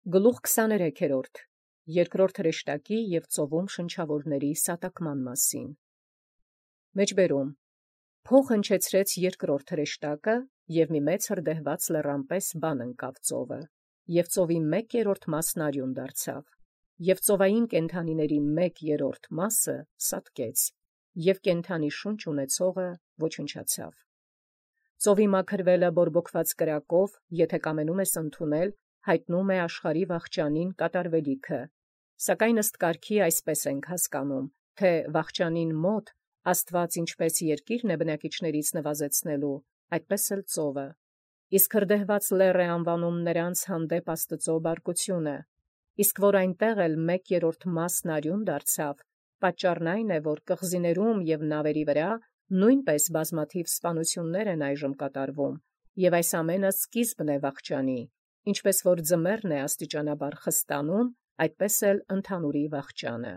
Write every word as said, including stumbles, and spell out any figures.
Գլուխ քսաներեքերորդ. Երկրորդ հրեշտակի և ծովում շնչավորների սատակման մասին։ Մեջբերում. Փոխ հնչեցրեց երկրորդ հրեշտակը, և մի մեծ հրդեհված լեռան պես բան ընկավ ծովը, և ծովի մեկ երրորդ մասն արյուն դարձավ, և ծովային կենդանիների մեկ երրորդ մասը սատկեց, և կենդանի շունչ ունեցողը ոչնչացավ։ Ծովի մաքրվելը բորբոքված կրակով, եթե կամենում ես ընդունել, հայտնում է աշխարհի վախճանին կատարվելիքը, սակայն ըստ կարգի այսպես ենք հասկանում, թե վախճանին մոտ Աստված ինչպես երկիրն է բնակիչներից նվազեցնելու, այդպես էլ ծովը, իսկ հրդեհված լեռ է անվանում նրանց հանդեպ Աստծո բարկությունը, իսկ որ այնտեղ էլ մեկ երրորդ մասն արյուն դարձավ, պատճառն այն է, որ կղզիներում և նավերի վրա նույնպես բազմաթիվ սպանություններ են այժմ կատարվում, և այս ամենը սկիզբն է վախճանի, ինչպես որ ձմեռն է աստիճանաբար խստանում, այդպես էլ ընդհանուրի վախճանը։